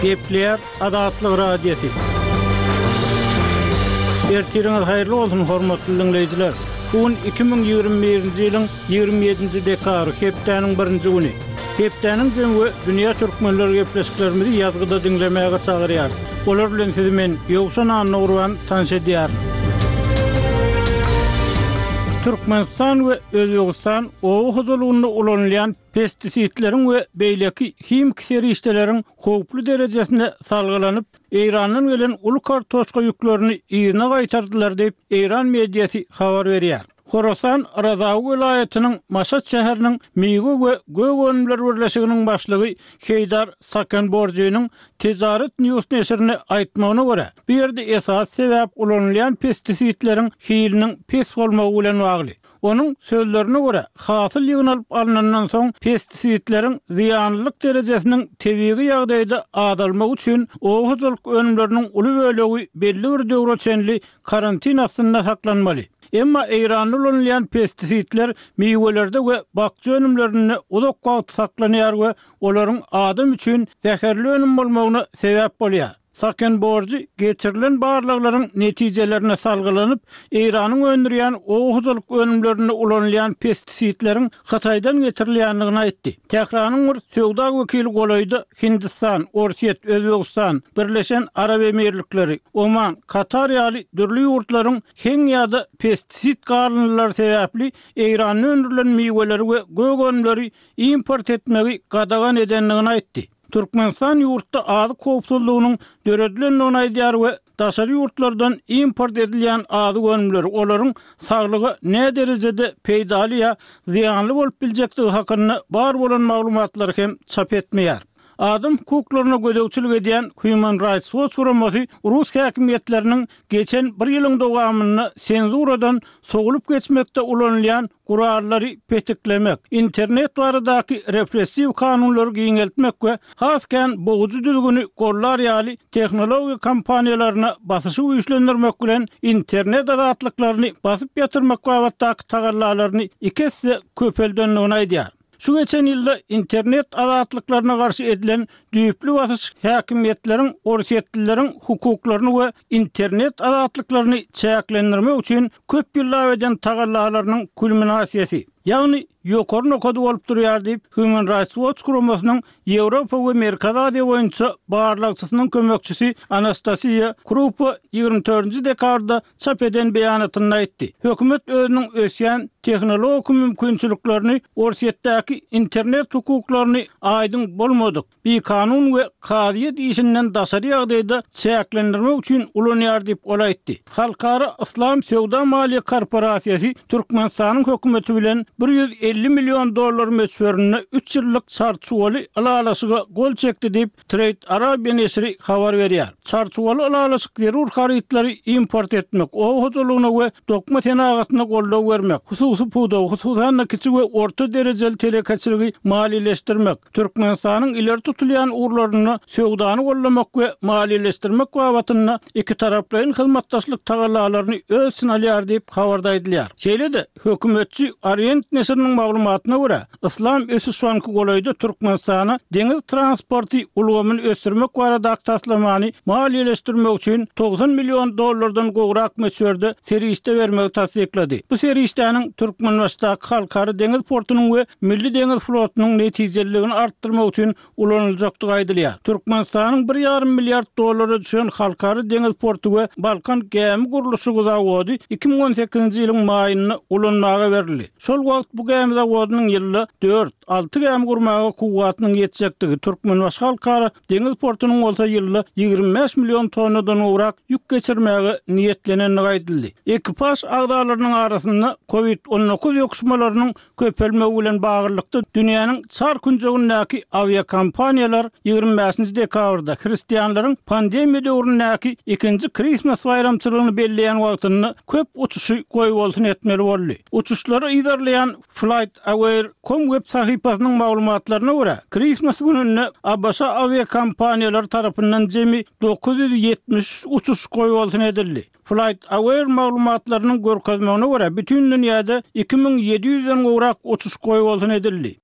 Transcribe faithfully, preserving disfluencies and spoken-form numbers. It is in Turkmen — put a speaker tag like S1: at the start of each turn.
S1: Gepleýär Azatlyk Radiosy. Ertiriňiz haýyrly bolsun, hormatly diňleýjiler! Bu gün iki müň ýigrimi birinji ýylyň ýigrimi ýedinji dekabry, hepdäniň birinji güni. Hepdäniň jemi we dünýä türkmenleri gepleşiklerimizi ýazgyda diňlemäge çagyrýarys. Olar bilen sizi men, Ýowşan Annagurban, tanyş edýärin. Türkmenistan we Özbegistan oba hojalygynda ulanylýan pestisidleriň we beýleki himiki serişdeleriň howply derejesine salgylanyp, Eýrandan gelen uly kartoşka ýüklerini yzyna gaýtardylar diýip, eýran mediasy habar berýär. Horasan Razawy welaýatynyň Maşat şäheriniň Miwe we gök önümler birleşiginiň başlygy Heýdar Sakenborjynyň Tejaret News neşirine aýtmagyna görä, bu ýerde esasy sebäp ulanylýan pestisidleriň hiliniň pes bolmagy bilen bagly. Onuň sözlerine görä, hasyl ýygnalyp alnandan soň pestisidleriň zyýanlylyk derejesiniň tebigy ýagdaýda azalmagy üçin oba hojalyk önümleriniň uly bölegi belli bir döwre çenli karantin astynda saklanmaly. Emma Eýranda ulanylýan pestisidler miwelerde we bakja önümlerinde uzak wagt saklanýar we olaryň adam üçin zäherli önüm bolmagyna sebäp bolýar. Sakenborjy geçirilen barlaglaryň netijelerine salgylanyp, Eýranyň öndürýän oba hojalyk önümlerinde ulanylýan pestisidleriň Hytaýdan getirilýändigini aýtdy. Tähranyň bir söwda wekili golaýda Hindistan, Orsýet, Özbegistan, Birleşen Arap Emirlikleri, Oman, Katar ýaly dürli ýurtlaryň heň ýa-da pestisid galyndylary sebäpli Eýranda öndürilen miweleri we gök önümleri import etmegi gadagan edendigini aýtdy. Türkmenistan ýurtda azyk howpsuzlygynyň döredilendigini aýdýar we daşary ýurtlardan import edilýän azyk önümleri, olaryň saglyga näderejede peýdaly ýa zyýanly bolup biljekdigi hakynda bar bolan maglumatlary hem çap etmeýär. Adam hukuklaryna gözegçilik edýän Human Rights Watch guramasy rus häkimiýetleriniň geçen bir ýylyň dowamynda senzuradan sowulyp geçmekde ulanylýan gurallary petiklemek, internet baradaky repressiw kanunlary giňeltmek we has kän bogujy düzgüni gollar ýaly tehnologiýa kompaniýalaryna basyşy güýçlendirmek bilen internet azatlyklaryny basyp ýatyrmak babatdaky tagallalaryny iki esse köpeldendigini aýdýar. Şu geçen ýylda internet azatlyklaryna garşy edilen düýpli basyş häkimiýetleriň orsýetlileriň hukuklaryny we internet azatlyklaryny çäklendirmek üçin köp ýyllap eden tagallalarynyň kulminasiýasy, ýagny ýokary nokady bolup durýar diýip, Human Rights Watch guramasynyň Ýewropa we Merkezi Aziýa boýunça barlagçysynyň kömekçisi Anastasiýa Krupa ýigrimi dördünji dekabrda çap eden beýanatynda aýtdy. Hökümet özüniň ösýän tehnologik mümkinçiliklerini Orsýetdäki internet hukuklaryny aýdyň bolmadyk, bikanun we kazyýet işinden daşary ýagdaýda çäklendirmek üçin ulanýar diýip, ol aýtdy. Halkara Yslam söwda-maliýe korporasiýasy Türkmenistanyň hökümeti bilen bir ýüz elli million dollar möçberinde üç ýyllyk çarçuwaly ylalaşyga gol çekdi diýip, Trade Arabia neşiri habar berýär. Çarçuwaly ylalaşyk zerur harytlary import etmek, oba hojalygyna we dokma senagatyna goldaw bermek, hususy pudagy, hususan-da, kiçi we orta derejeli telekeçiligi maliýeleşdirmek, Türkmenistanyň ileri tutulýan ugurlarynda söwdany goldamak we maliýeleşdirmek babatynda ikitaraplaýyn hyzmatdaşlyk tagallalaryny öz içine alýar diýip, habarda aýdylýar. Şeýle-de, hökümetçi Orient neşiriniň maglumatyna görä, Yslam ösüş banky golaýda Türkmenistana deňiz transporty ulgamyny ösdürmek baradaky taslamany maliýeleşdirmek üçin togsan million dollardan gowrak möçberde serişde bermegi tassyklady. Bu serişdäniň Türkmenbaşydaky Halkara deňiz portunyň we Milli deňiz flotunyň netijeliligini artdyrmak üçin ulanyljakdygy aýdylýar. Türkmenistanyň bir ýarym milliard dollara düşen Halkara deňiz porty we Balkan gämi gurluşygy zawody iki müň on sekizinji ýylyň maýynda ulanmaga berildi. Şol wagt bu gämi zawodynyň ýylda dört, alty gämi gurmaga kuwwatynyň ýetjekdigi, Türkmenbaşy Halkara deňiz portunyň bolsa ýylda ýigrimi bäş million tonnadan gowrak ýük geçirmäge niýetlenendigi aýdyldy. Ekipaž agzalarynyň arasynda Covid on dokuz ýokuşmalarynyň köpelmegi bilen baglylykda dünýäniň çar künjegindäki awiakompaniýalar ýigrimi bäşinji dekabrda hristianlaryň pandemiýa döwründäki ikinji Kristmas baýramçylygyny belleýän wagtynda köp uçuşy goýbolsun etmeli boldy. Uçuşlary yzarlaýan FlightAware. Com web sahypasynyň maglumatlaryna görä, Kristmas gününde ABŞ awiakompaniýalary tarapyndan jemi dokuz ýüz ýetmiş üç uçuş goýbolsun edildi. FlightAware maglumatlarynyň görkezmegine görä, bütin dünýäde iki müň ýedi ýüzden gowrak uçuş goýbolsun edildi.